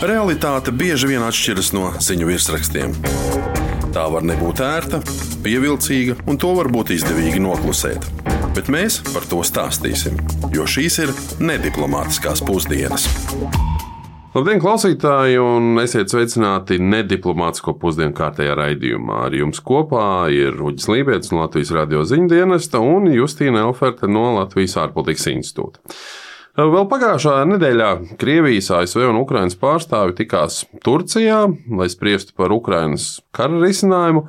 Realitāte bieži vien atšķiras no ziņu virsrakstiem. Tā var nebūt ērta, pievilcīga, un to var būt izdevīgi noklusēt. Bet mēs par to stāstīsim, jo šīs ir nediplomātiskās pusdienas. Labdien, klausītāji, un esiet sveicināti nediplomātisko pusdienu kārtējā raidījumā. Ar jums kopā ir Uģis Lībietis no Latvijas radio ziņdienesta un Justīna Elferte no Latvijas ārpolitikas institūta. Vēl pagājušā nedēļā Krievijas, ASV un Ukrainas pārstāvi tikās Turcijā, lai spriestu par Ukrainas kara risinājumu,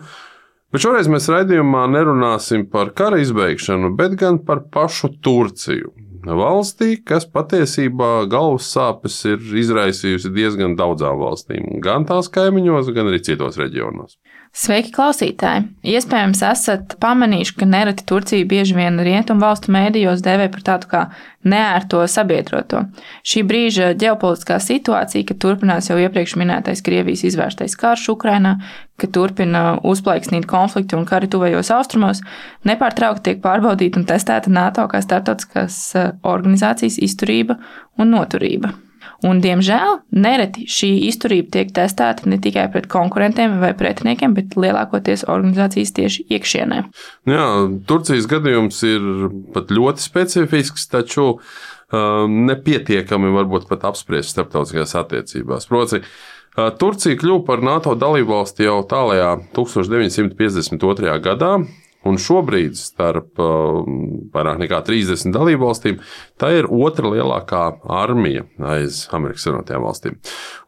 bet šoreiz mēs raidījumā nerunāsim par kara izbeigšanu, bet gan par pašu Turciju. Valstī, kas patiesībā galvas sāpes ir izraisījusi diezgan daudzām valstīm, gan tās kaimiņos, gan arī citos reģionos. Sveiki, klausītāji! Iespējams, esat pamanījuši, ka nereti Turcija bieži vien rietumu valstu mēdījos dēvē par tādu kā neērto sabiedroto. Šī brīža ģeopolitiskā situācija, ka turpinās jau iepriekš minētais Krievijas izvērstais karš Ukrainā, ka turpina uzplaiksnīt konflikti un kari tuvajos austrumos, nepārtraukti tiek pārbaudīta un testēta NATO kā starptautiskās organizācijas izturība un noturība. Un, diemžēl, nereti šī izturība tiek testēta ne tikai pret konkurentiem vai pretiniekiem, bet lielākoties organizācijas tieši iekšienē. Jā, Turcijas gadījums ir pat ļoti specifisks, taču nepietiekami varbūt pat apspriest starptautiskajās attiecībās. Proti, Turcija kļuva par NATO dalībvalsti jau tālajā 1952. gadā. Un šobrīd starp vairāk nekā 30 dalībvalstīm tā ir otra lielākā armija aiz Amerikas Savienotajām valstīm.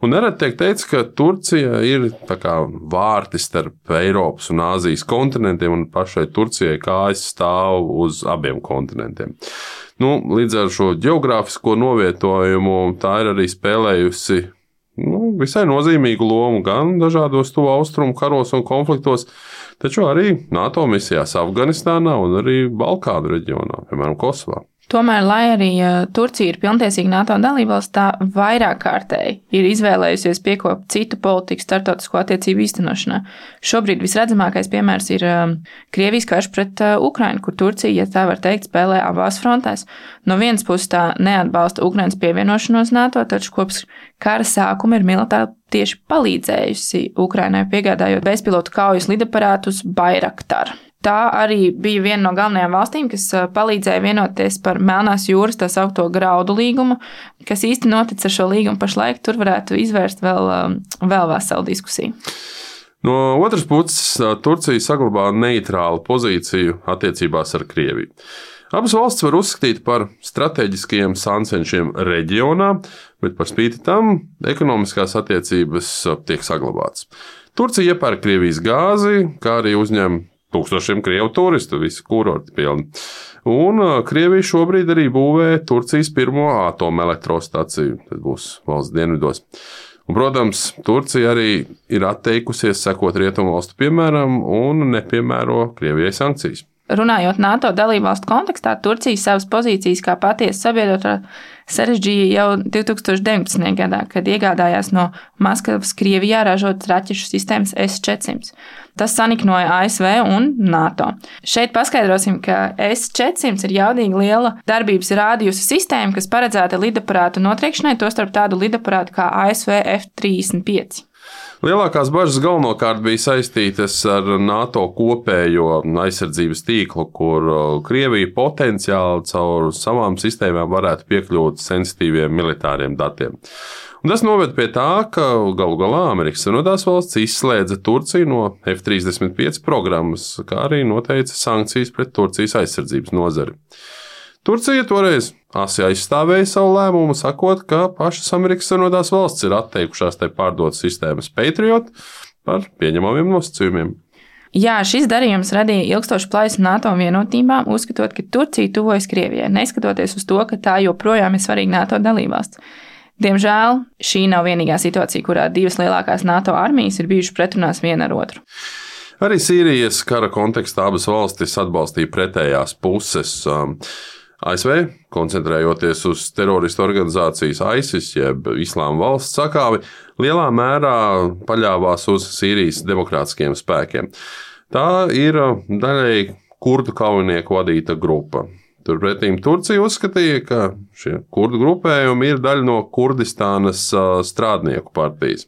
Un nereti tiek teikts, ka Turcija ir tā kā vārti starp Eiropas un Āzijas kontinentiem, un pašai Turcijai kājas stāv uz abiem kontinentiem. Līdz ar šo geogrāfisko novietojumu tā ir arī spēlējusi visai nozīmīgu lomu gan dažādos tuvu austrumu karos un konfliktos, taču arī NATO misijās Afganistānā un arī Balkānu reģionā, piemēram, Kosovā. Tomēr, lai arī Turcija ir pilntiesīga NATO dalībvalsts, tā vairāk kārtēji ir izvēlējusies piekopt citu politiku starptautisko attiecību īstenošanā. Šobrīd visredzamākais piemērs ir Krievijas karš pret Ukrainu, kur Turcija, ja tā var teikt, spēlē abās frontēs. No vienas puses tā neatbalsta Ukrainas pievienošanos NATO, taču kopš kara sākuma ir militāri tieši palīdzējusi Ukrainai, piegādājot bezpilotu kaujas lidaparātus Bayraktar. Tā arī bija viena no galvenajām valstīm, kas palīdzēja vienoties par Melnās jūras tā saukto graudu līgumu, kas īsti notic ar šo līgumu pašlaik, tur varētu izvērst vēl veselu diskusiju. No otras puses, Turcija saglabā neitrālu pozīciju attiecībās ar Krieviju. Abas valstis var uzskatīt par strateģiskajiem sāncenšiem reģionā, bet par spīti tam ekonomiskās attiecības tiek saglabātas. Turcija iepērk Krievijas gāzi, kā arī uzņem tūkstošiem krievu turistu, visi kurorti pilni. Un Krievija šobrīd arī būvē Turcijas pirmo atomelektrostaciju, tas būs valsts dienvidos. Un, protams, Turcija arī ir atteikusies sekot rietumu valstu piemēram un nepiemēro Krievijai sankcijas. Runājot NATO dalībvalstu kontekstā, Turcija savas pozīcijas kā patiesa sabiedrotā sarežģīja jau 2019. gadā, kad iegādājās no Maskavas Krievijā ražotas raķešu sistēmas S-400. Tas saniknoja ASV un NATO. Šeit paskaidrosim, ka S-400 ir jaudīgi liela darbības rādījusa sistēma, kas paredzēta lidaparātu notriekšanai, tostarp tādu lidaparātu kā ASV F-35. Lielākās bažas galvenokārt bija saistītas ar NATO kopējo aizsardzības tīklu, kur Krievija potenciāli caur savām sistēmām varētu piekļūt sensitīviem militāriem datiem. Un tas noved pie tā, ka galu galā Amerikas Savienotās valsts izslēdza Turciju no F-35 programmas, kā arī noteica sankcijas pret Turcijas aizsardzības nozari. Turcija toreiz asi aizstāvēja savu lēmumu, sakot, ka pašas Amerikas Savienotās valsts ir atteikušās tai pārdot sistēmas Patriot par pieņemamiem nosacījumiem. Jā, šis darījums radīja ilgstošu plaisu NATO vienotībām, uzskatot, ka Turcija tuvojas Krievijai, neskatoties uz to, ka tā joprojām ir svarīga NATO dalībvalsts. Diemžēl šī nav vienīgā situācija, kurā divas lielākās NATO armijas ir bijušas pretrunās viena ar otru. Arī Sīrijas kara kontekstā abas valstis atbalstīja pretējās puses. ASV, koncentrējoties uz teroristu organizācijas ISIS, jeb Islāma valsts sakāvi, lielā mērā paļāvās uz Sīrijas demokrātiskiem spēkiem. Tā ir daļēji kurdu kaujinieku vadīta grupa. Turpretī Turcija uzskatīja, ka šie kurdu grupējumi ir daļa no Kurdistānas strādnieku partijas.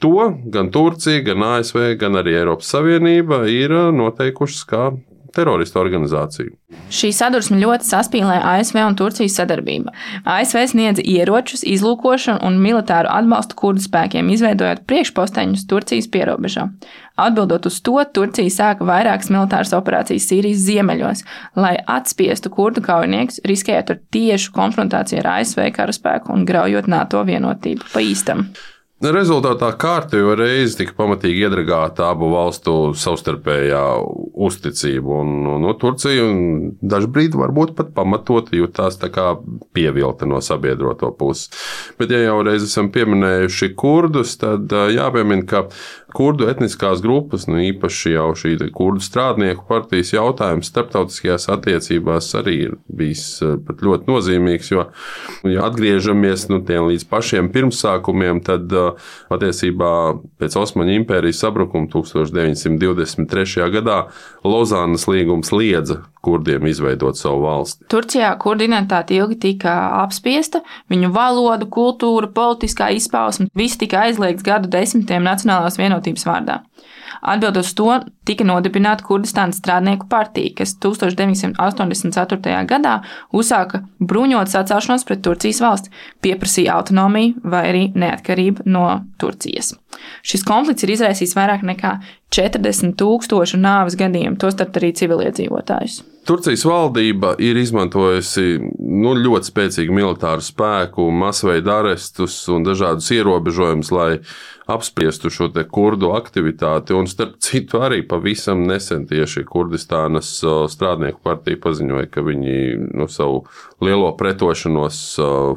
To gan Turcija, gan ASV, gan arī Eiropas Savienība ir noteikušas kā teroristu organizāciju. Šī sadursme ļoti saspīlē ASV un Turcijas sadarbību. ASV sniedza ieročus, izlūkošanu un militāru atbalstu kurdu spēkiem, izveidojot priekšposteņus Turcijas pierobežā. Atbildot uz to, Turcija sāka vairākas militāras operācijas Sīrijas ziemeļos, lai atspiestu kurdu kaujiniekus, riskējot ar tiešu konfrontāciju ar ASV karaspēku un graujot NATO vienotību pa īstam. Rezultātā kārtējo reizi tika pamatīgi iedragāta abu valstu savstarpējā uzticība, un Turcija dažu brīdi varbūt pat pamatot jutās tā kā pievilta no sabiedroto puses. Bet, ja jau reiz esam pieminējuši kurdus, tad jāpiemina, ka kurdu etniskās grupas, īpaši jau šī kurdu strādnieku partijas jautājums starptautiskajās attiecībās arī ir bijis pat ļoti nozīmīgs, jo, ja atgriežamies līdz pašiem pirmsākumiem, tad patiesībā pēc Osmaņu impērijas sabrukuma 1923. gadā Lozānas līgums liedza kurdiem izveidot savu valsti. Turcijā kurdu identitāte ilgi tika apspiesta, viņu valoda, kultūra, politiskā izpausme, viss tika aizliegts gadu desmitiem nacionālās vienotības vārdā. Atbildot uz to, tika nodibināta Kurdistānas strādnieku partija, kas 1984. gadā uzsāka bruņotu sacēlšanos pret Turcijas valsti, pieprasīja autonomiju vai arī neatkarību no Turcijas. Šis konflikts ir izraisījis vairāk nekā 40,000 nāves gadījumu, tostarp arī civiliedzīvotājus. Turcijas valdība ir izmantojusi ļoti spēcīgu militāru spēku, masveida arestus un dažādus ierobežojumus, lai apspriestu šo te kurdu aktivitāti. Un starp citu arī pavisam nesen tieši Kurdistānas strādnieku partija paziņoja, ka viņi savu lielo pretošanos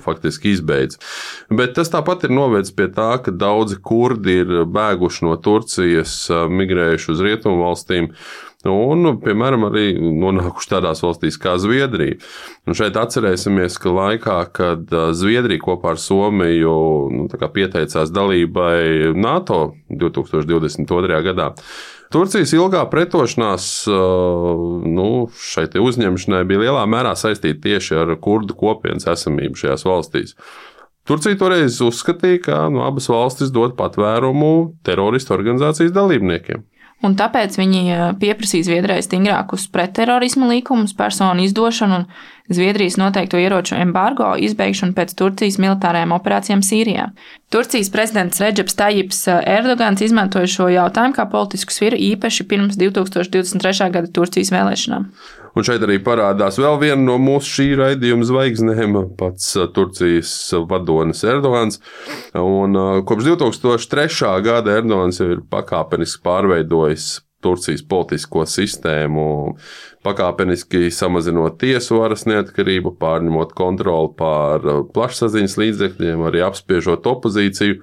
faktiski izbeidz. Bet tas tāpat ir novedis pie tā, ka daudzi kurdi ir bēguši no Turcijas, migrējuši uz rietumu valstīm. Un, piemēram, arī nonākuši tādās valstīs kā Zviedrija. Un šeit atcerēsimies, ka laikā, kad Zviedrija kopā ar Somiju pieteicās dalībai NATO 2022. gadā, Turcijas ilgā pretošanās šai uzņemšanai bija lielā mērā saistīta tieši ar kurdu kopienas esamību šajās valstīs. Turcija toreiz uzskatīja, ka abas valstis dod patvērumu teroristu organizācijas dalībniekiem. Un tāpēc viņi pieprasīja Zviedrijai stingrākus pretterorisma likumus, personu izdošanu un Zviedrijas noteikto ieroču embargo izbeigšanu pēc Turcijas militārajām operācijām Sīrijā. Turcijas prezidents Redžeps Tajips Erdogans izmantoja šo jautājumu kā politisku sviru īpaši pirms 2023. gada Turcijas vēlēšanām. Un šeit arī parādās vēl viena no mūsu šī raidījuma zvaigznēm, pats Turcijas vadonis Erdogans. Un kopš 2003. gada Erdogans jau ir pakāpeniski pārveidojis Turcijas politisko sistēmu, pakāpeniski samazinot tiesu varas neatkarību, pārņemot kontroli pār plašsaziņas līdzekļiem, arī apspiežot opozīciju.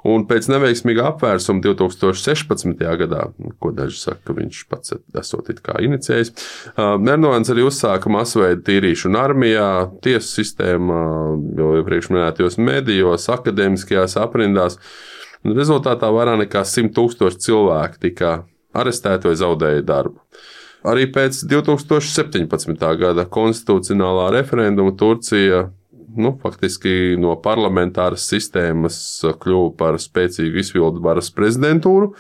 Un pēc neveiksmīga apvērsuma 2016. gadā, ko daži saka, ka viņš pats esot it kā inicijējis, Erdogans arī uzsāka masveida tīrīšanu armijā, tiesu sistēmā, jau iepriekš minētajos medijos, akadēmiskajās aprindās. Un rezultātā vairāk nekā 100,000 cilvēku tika arestēti vai zaudēja darbu. Arī pēc 2017. gada konstitucionālā referenduma Turcija faktiski no parlamentāras sistēmas kļuva par spēcīgu izpildu varas prezidentūru,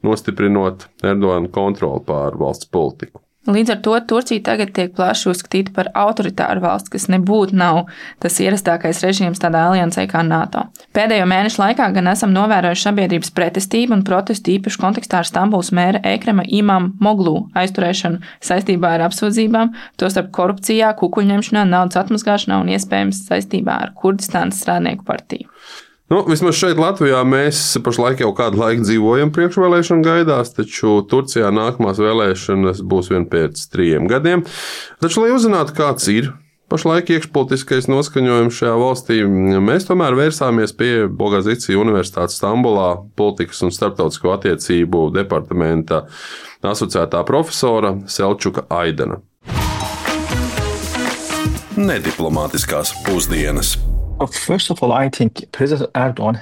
nostiprinot Erdogana kontroli pār valsts politiku. Līdz ar to Turcija tagad tiek plaši uzskatīta par autoritāru valsts, kas nebūtu nav tas ierastākais režīms tādā aliansē kā NATO. Pēdējo mēnešu laikā gan esam novērojuši sabiedrības pretestību un protestu īpaši kontekstā ar Stambulas mēra Ekrema Imamoglu aizturēšanu saistībā ar apsūdzībām, tostarp korupcijā, kukuļņemšanā, naudas atmazgāšanā un iespējams saistībā ar Kurdistānas strādnieku partiju. Vismaz šeit Latvijā mēs pašlaik jau kādu laiku dzīvojam priekšvēlēšanu gaidās, taču Turcijā nākamās vēlēšanas būs vien pēc 3 gadiem. Taču, lai uzzinātu, kāds ir pašlaik iekšpolitiskais noskaņojums šajā valstī, mēs tomēr vērsāmies pie Bogazicī Universitātes Stambulā politikas un starptautisko attiecību departamenta asociētā profesora Selčuka Aidana. Nediplomātiskās pusdienas. First of all, I think President Erdogan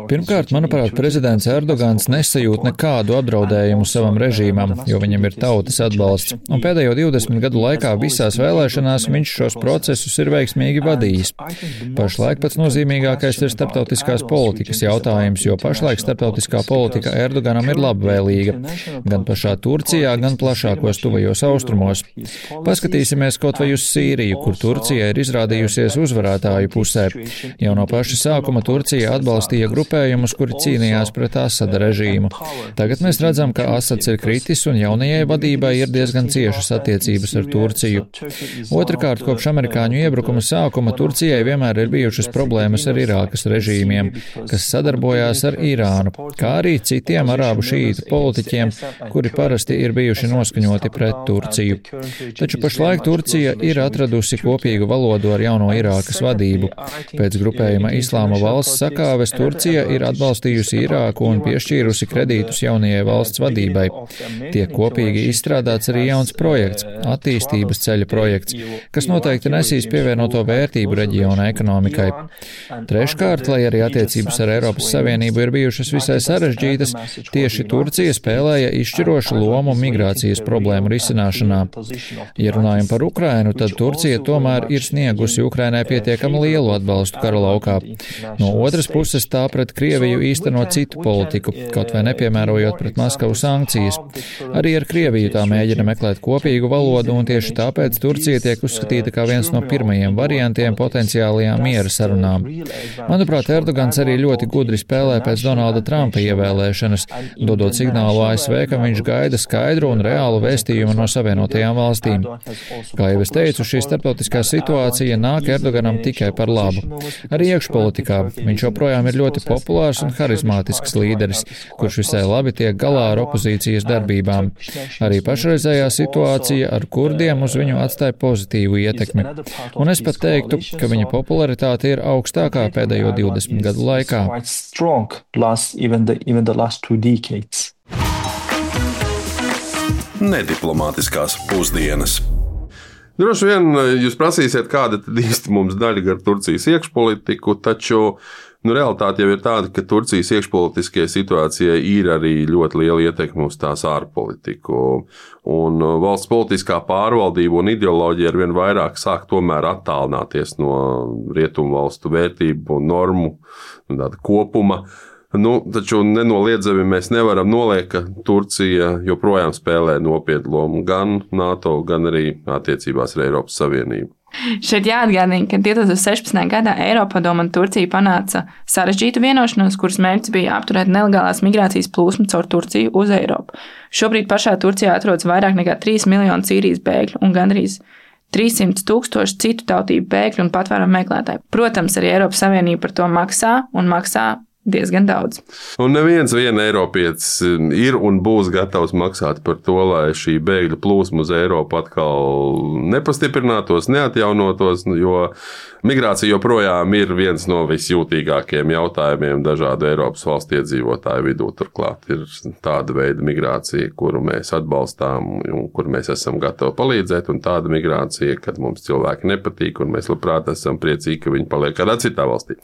Pirmkārt, manuprāt, prezidents Erdogans nesajūt nekādu apdraudējumu savam režīmam, jo viņam ir tautas atbalsts, un pēdējo 20 gadu laikā visās vēlēšanās viņš šos procesus ir veiksmīgi vadījis. Pašlaik pats nozīmīgākais ir starptautiskās politikas jautājums, jo pašlaik starptautiskā politika Erdoganam ir labvēlīga, gan pašā Turcijā, gan plašākos tuvajos austrumos. Paskatīsimies kaut vai uz Sīriju, kur Turcija ir izrādījusies uzvarētāju pusē. Jau no paša sākuma Turcija atbalstīja grupējumus, kuri cīnījās pret Asada režīmu. Tagad mēs redzam, ka Asads ir kritis un jaunajai vadībai ir diezgan ciešas attiecības ar Turciju. Otrakārt, kopš amerikāņu iebrukuma sākuma Turcijai vienmēr ir bijušas problēmas ar Irākas režīmiem, kas sadarbojās ar Irānu, kā arī citiem arābu šītu politiķiem, kuri parasti ir bijuši noskaņoti pret Turciju. Taču pašlaik Turcija ir atradusi kopīgu valodu ar jauno Irākas vadību. Pēc grupējuma Islāma valsts sakāves Turcija ir atbalstījusi Irāku un piešķīrusi kredītus jaunajai valsts vadībai. Tiek kopīgi izstrādāts arī jauns projekts, attīstības ceļa projekts, kas noteikti nesīs pievienoto vērtību reģiona ekonomikai. Treškārt, lai arī attiecības ar Eiropas Savienību ir bijušas visai sarežģītas, tieši Turcija spēlēja izšķirošu lomu migrācijas problēmu risināšanā. Ja runājam par Ukrainu, tad Turcija tomēr ir sniegusi Ukrainai pietiekami lielu atbalstu kara laukā. No otras puses tā pret Krieviju īsteno citu politiku, kaut vai nepiemērojot pret Maskavu sankcijas. Arī ar Krieviju tā mēģina meklēt kopīgu valodu, un tieši tāpēc Turcija tiek uzskatīta kā viens no pirmajiem variantiem potenciālajām miera sarunām. Manuprāt, Erdogans arī ļoti gudri spēlē pēc Donalda Trumpa ievēlēšanas, dodot signālu ASV, ka viņš gaida skaidru un reālu vēstījumu no Savienotajām valstīm. Kā jau es teicu, šī starptautiskā situācija nāk Erdoganam tikai par labu. Arī iekšpolitikā viņš joprojām ir ļoti populārs un harizmātisks līderis, kurš visai labi tiek galā ar opozīcijas darbībām. Arī pašreizējā situācija ar kurdiem uz viņu atstāja pozitīvu ietekmi. Un es pat teiktu, ka viņa popularitāte ir augstākā pēdējo 20 gadu laikā. Nediplomātiskās pusdienas. Droši vien jūs prasīsiet, kāda tad īsti mums daļa ar Turcijas iekšpolitiku, taču realitāte jau ir tāda, ka Turcijas iekšpolitiskajai situācijai ir arī ļoti liela ietekme uz tās ārpolitiku. Un valsts politiskā pārvaldība un ideoloģija arvien vairāk sāk tomēr attālināties no rietumu valstu vērtību un normu kopuma. Taču nenoliedzami mēs nevaram noliekt, ka Turcija joprojām spēlē nopietnu lomu gan NATO, gan arī attiecībās ar Eiropas Savienību. Šeit jāatgādina, ka 2016. gadā Eiropadome un Turcija panāca sarežģītu vienošanos, kuras mērķis bija apturēt nelegālās migrācijas plūsmu caur Turciju uz Eiropu. Šobrīd pašā Turcijā atrodas vairāk nekā 3 miljoni Sīrijas bēgļu un gandrīz 300 000 citu tautību bēgļu un patvērumu meklētāju. Protams, arī Eiropas Savienība par to maksā un maksā diezgan daudz. Un neviens Eiropietis ir un būs gatavs maksāt par to, lai šī bēgļu plūsma uz Eiropu atkal nepastiprinātos, neatjaunotos, jo migrācija joprojām ir viens no visjūtīgākajiem jautājumiem dažādu Eiropas valstu iedzīvotāju vidū. Turklāt ir tāda veida migrācija, kuru mēs atbalstām un kur mēs esam gatavi palīdzēt, un tāda migrācija, kad mums cilvēki nepatīk un mēs labprāt esam priecīgi, ka viņi paliek kādā citā valstī.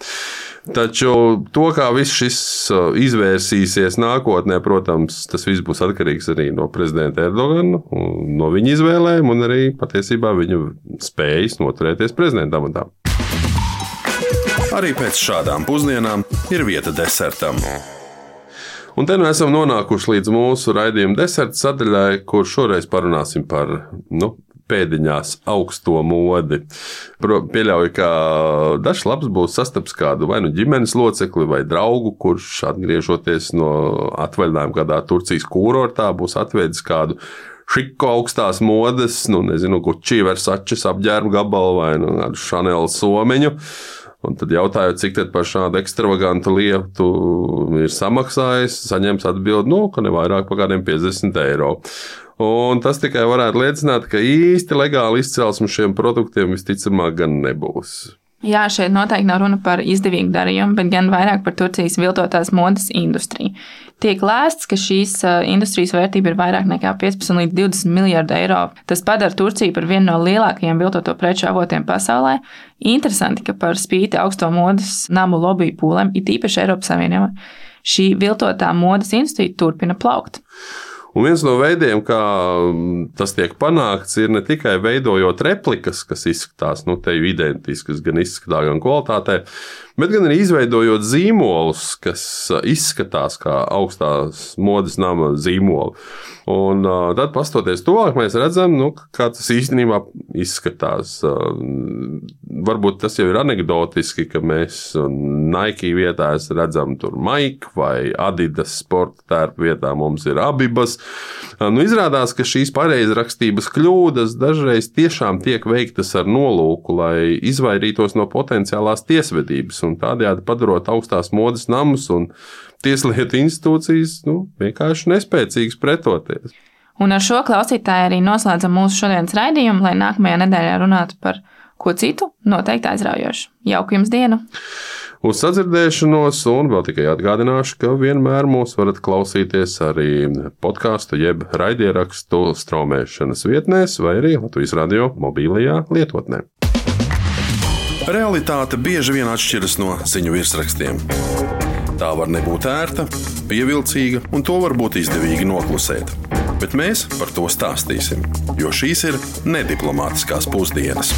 Taču to, kā viss šis izvērsīsies nākotnē, protams, tas viss būs atkarīgs arī no prezidenta Erdogana, no viņa izvēlēm un arī patiesībā viņa spējas noturēties prezidenta amatā. Arī pēc šādām pusdienām ir vieta desertam. Un te nu esam nonākuši līdz mūsu raidījuma deserta sadaļai, kur šoreiz parunāsim par pēdiņās augsto modi. Pieļauju, ka dažs labs būs sastaps kādu vai ģimenes locekli vai draugu, kurš atgriežoties no atvaļinājuma kādā Turcijas kūrortā būs atvedis kādu šiku augstās modes, Gucci, Versace apģērbu gabalu vai kādu Chanel somiņu. Un tad jautājot, cik tad par šādu ekstravagantu lietu ir samaksājis, saņems atbildi, ka ne vairāk par kādiem 50 eiro. Un tas tikai varētu liecināt, ka īsti legāli izcelsme šiem produktiem visticamāk gan nebūs. Jā, šeit noteikti nav runa par izdevīgu darījumu, bet gan vairāk par Turcijas viltotās modes industriju. Tiek lēsts, ka šīs industrijas vērtība ir vairāk nekā 15 līdz 20 miljardi eiro. Tas padara Turciju par vienu no lielākajiem viltoto preču avotiem pasaulē. Interesanti, ka par spīti augsto modes namu lobby pūlēm, it īpaši Eiropas Savienībā, šī viltotā modes industrija turpina plaukt. Un viens no veidiem, kā tas tiek panākts, ir ne tikai veidojot replikas, kas izskatās teju identiskas, gan izskatā, gan kvalitātē, bet gan arī izveidojot zīmolus, kas izskatās kā augstās modes nama zīmoli. Un tad, pastoties tuvāk, mēs redzam, kā tas īstenībā izskatās. Varbūt tas jau ir anekdotiski, ka mēs Nike vietā redzam tur Mike vai Adidas sporta tērpu vietā mums ir Abibas. Izrādās, ka šīs pareizrakstības kļūdas dažreiz tiešām tiek veiktas ar nolūku, lai izvairītos no potenciālās tiesvedības un tādējādi padarot augstās modes namus un tieslietu institūcijas vienkārši nespēcīgas pretoties. Un ar šo klausītāju arī noslēdzam mūsu šodienas raidījumu, lai nākamajā nedēļā runātu par ko citu noteikti aizraujošu. Jauku jums dienu! Uz sadzirdēšanos, un vēl tikai atgādināšu, ka vienmēr mūs varat klausīties arī podkāstu jeb raidierakstu straumēšanas vietnēs vai arī Latvijas radio mobilajā lietotnē. Realitāte bieži vien atšķiras no ziņu virsrakstiem. Tā var nebūt ērta, pievilcīga, un to var būt izdevīgi noklusēt. Bet mēs par to stāstīsim, jo šīs ir nediplomātiskās pusdienas.